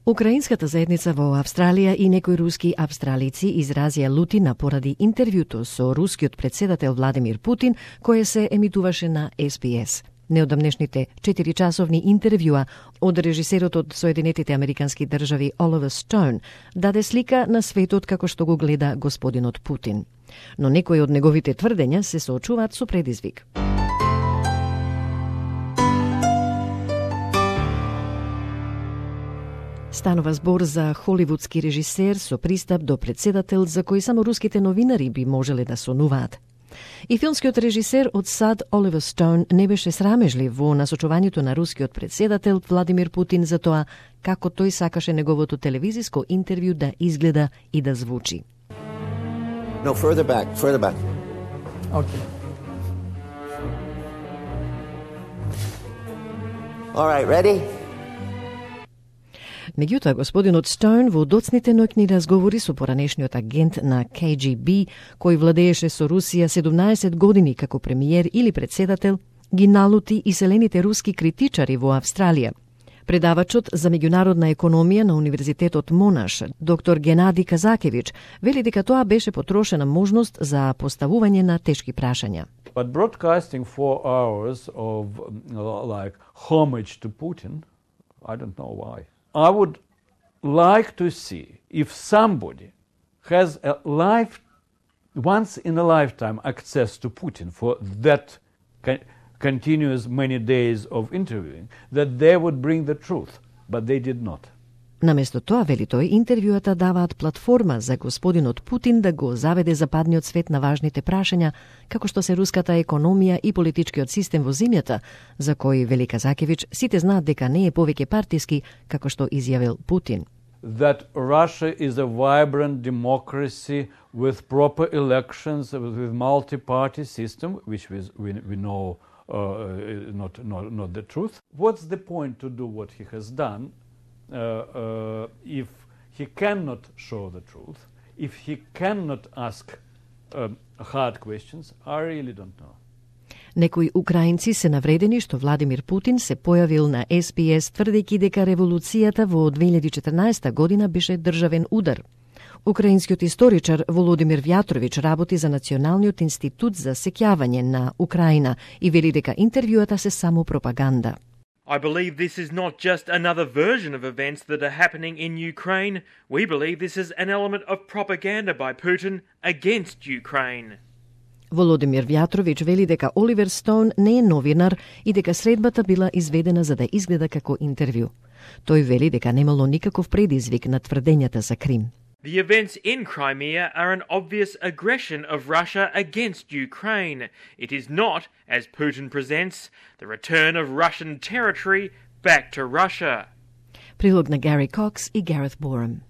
Украинската заедница во Австралија и некои руски австралици изразија лутина поради интервјуто со рускиот председател Владимир Путин, кое се емитуваше на SBS. Неодамнешните 4-часовни интервјуа од режисерот од Соединетите Американски држави Оливер Стоун даде слика на светот како што го гледа господинот Путин. Но некои од неговите тврдења се соочуваат со предизвик. Станува збор за холивудски режисер со пристап до председател за кој само руските новинари би можеле да сонуваат. И филмскиот режисер од САД Оливер Стоун не беше срамежлив во насочувањето на рускиот председател Владимир Путин за тоа како тој сакаше неговото телевизиско интервју да изгледа и да звучи. No, further back. Okay. All right, ready? Меѓутоа, господинот Стоун во доцните ноќни разговори со поранешниот агент на KGB, кој владееше со Русија 17 години како премиер или председател, ги налути иселените руски критичари во Австралија. Предавачот за меѓународна економија на Универзитетот Монаш, доктор Геннади Казакевич, вели дека тоа беше потрошена можност за поставување на тешки прашања. But broadcasting 4 hours of like homage to Putin, I don't know why. I would like to see if somebody has once in a lifetime access to Putin for that continuous many days of interviewing, that they would bring the truth, but they did not. Наместо тоа, вели тој, интервјуата даваат платформа за господинот Путин да го заведе западниот свет на важните прашања, како што се руската економија и политичкиот систем во земјата, за кој, вели Казакевич, сите знаат дека не е повеќе партиски, како што изјавил Путин. That Russia is a vibrant democracy with proper elections, with multi-party system, which we know not the truth. What's the point to do what he has done? If he cannot show the truth, if he cannot ask hard questions, I really don't know. Некои украинци се навредени што Владимир Путин се појавил на SBS тврдејќи дека револуцијата во 2014 година беше државен удар. Украинскиот историчар Володимир Вјатрович работи за Националниот институт за сеќавање на Украина и вели дека интервјуата се само пропаганда. I believe this is not just another version of events that are happening in Ukraine. We believe this is an element of propaganda by Putin against Ukraine. Володимир Вјатрович вели дека Оливер Стоун не е новинар и дека средбата била изведена за да изгледа како интервју. Тој вели дека немало никаков предизвик на тврдењата за Крим. The events in Crimea are an obvious aggression of Russia against Ukraine. It is not, as Putin presents, the return of Russian territory back to Russia. Прилог на Гари Кокс и Гарет Борем.